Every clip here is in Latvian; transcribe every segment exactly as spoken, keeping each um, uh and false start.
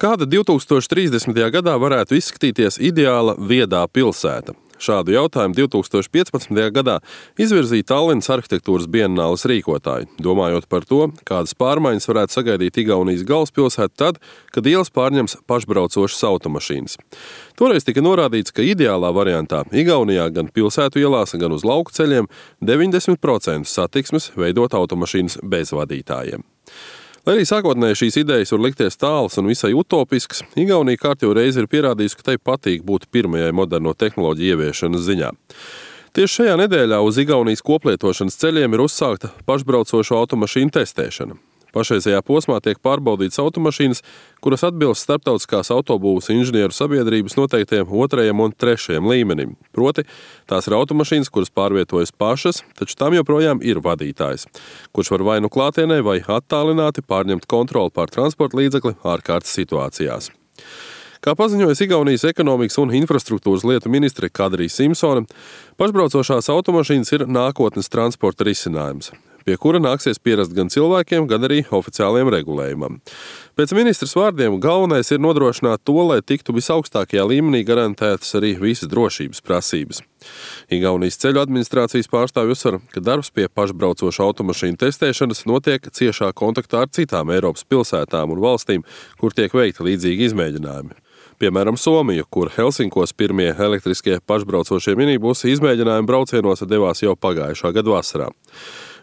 Kāda divi tūkstoši trīsdesmitajā gadā varētu izskatīties ideāla viedā pilsēta? Šādu jautājumu divi tūkstoši piecpadsmitajā gadā izvirzīja Tallinas arhitektūras bienāles rīkotāji, domājot par to, kādas pārmaiņas varētu sagaidīt Igaunijas galvaspilsētu tad, kad ielas pārņems pašbraucošas automašīnas. Toreiz tika norādīts, ka ideālā variantā Igaunijā gan pilsētu ielās, gan uz lauku ceļiem deviņdesmit procenti satiksmes veidot automašīnas bez vadītājiem. Lai arī sākotnēji šīs idejas var likties tālas un visai utopiskas, Igaunija kārtējo reizi ir pierādījusi, ka tai patīk būt pirmajai moderno tehnoloģiju ieviešanas ziņā. Tieši šajā nedēļā uz Igaunijas koplietošanas ceļiem ir uzsākta pašbraucošo automašīnu testēšana. Pašreizējā posmā tiek pārbaudītas automašīnas, kuras atbilst starptautiskās autobūvas inženieru sabiedrības noteiktiem otrajam un trešajam līmenim. Proti, tās ir automašīnas, kuras pārvietojas pašas, taču tam joprojām ir vadītājs, kurš var vai nu klātienē vai attālināti pārņemt kontroli pār transporta līdzekli ārkārtas situācijās. Kā paziņojas Igaunijas ekonomikas un infrastruktūras lietu ministre Kadrija Simpsone, pašbraucošās automašīnas ir nākotnes transporta risinājums, pie kura nāksies pierast gan cilvēkiem, gan arī oficiāliem regulējumam. Pēc ministras vārdiem galvenais ir nodrošināt to, lai tiktu visaugstākajā līmenī garantētas arī visas drošības prasības. Igaunijas ceļu administrācijas pārstāvji uzsver, ka darbs pie pašbraucošu automašīnu testēšanas notiek ciešā kontaktā ar citām Eiropas pilsētām un valstīm, kur tiek veikti līdzīgi izmēģinājumi. Piemēram, Somiju, kur Helsinkos pirmie elektriskie pašbraucošie minibusi izmēģinājumu braucienos devās jau pagājušā gada vasarā.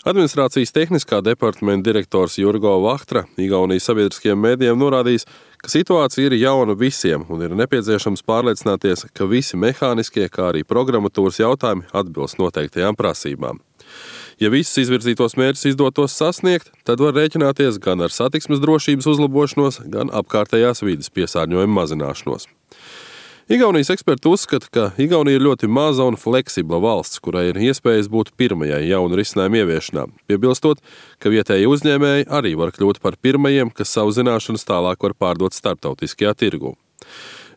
Administrācijas tehniskā departamenta direktors Jurgo Vahtra Igaunijas sabiedriskajiem mēdījiem norādījis, ka situācija ir jauna visiem un ir nepieciešams pārliecināties, ka visi mehāniskie, kā arī programmatūras jautājumi atbilst noteiktajām prasībām. Ja visus izvirzītos mērķus izdotos sasniegt, tad var rēķināties gan ar satiksmes drošības uzlabošanos, gan apkārtējās vides piesārņojuma mazināšanos. Igaunijas eksperti uzskata, ka Igaunija ir ļoti maza un fleksibla valsts, kurai ir iespējas būt pirmajai jaunu risinājumu ieviešanā, piebilstot, ka vietēji uzņēmēji arī var kļūt par pirmajiem, kas savu zināšanas tālāk var pārdot starptautiskajā tirgū.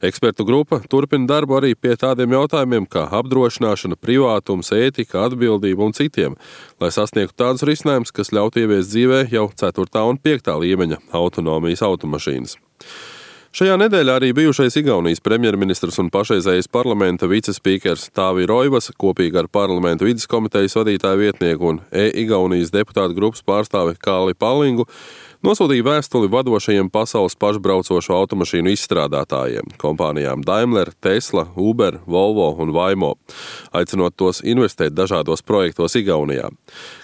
Ekspertu grupa turpina darbu arī pie tādiem jautājumiem kā apdrošināšana, privātums, ētika, atbildība un citiem, lai sasniegtu tādus risinājumus, kas ļautu ieviest dzīvē jau ceturtā un piektā līmeņa autonomijas automašīnas. Šajā nedēļā arī bijušais Igaunijas premjerministrs un pašreizējais parlamenta vicespīkers Tāvi Roivas kopīgi ar parlamenta vides komitejas vadītāju vietnieku un e-Igaunijas deputātu grupas pārstāvi Kalli Pallingu nosūtīja vēstuli vadošajiem pasaules pašbraucošo automašīnu izstrādātājiem, kompānijām Daimler, Tesla, Uber, Volvo un Waymo, aicinot tos investēt dažādos projektos Igaunijā.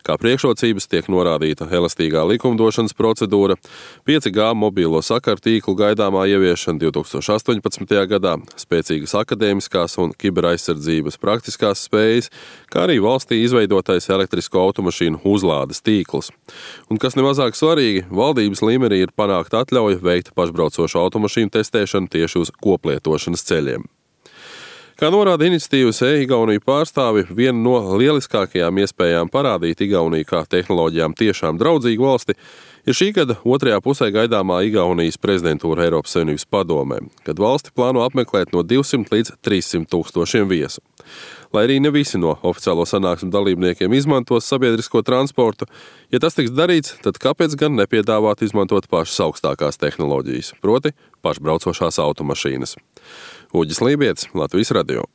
Kā priekšrocības tiek norādīta elastīgā likumdošanas procedūra, pieci G mobīlo sakaru tīklu gaidāmā ieviešana divi tūkstoši astoņpadsmitajā gadā, spēcīgas akadēmiskās un kiberaizsardzības praktiskās spējas, kā arī valstī izveidotais elektrisko automašīnu uzlādes tīkls. Un kas nemazāk svarīgi, valdības līmenī ir panākta atļauja veikt pašbraucošu automašīnu testēšanu tieši uz koplietošanas ceļiem. Kā norāda iniciatīvas e-Igauniju pārstāvi, viena no lieliskākajām iespējām parādīt Igauniju kā tehnoloģijām tiešām draudzīgu valsti ir šī gada otrajā pusē gaidāmā Igaunijas prezidentūra Eiropas Savienības padomē, kad valsti plāno apmeklēt no divsimt līdz trīssimt tūkstošiem viesu. Lai arī ne visi no oficiālo sanāksmu dalībniekiem izmantos sabiedrisko transportu, ja tas tiks darīts, tad kāpēc gan nepiedāvāt izmantot pašas augstākās tehnoloģijas, proti pašbraucošās automašīnas. Uģis Lībietis, Latvijas radio.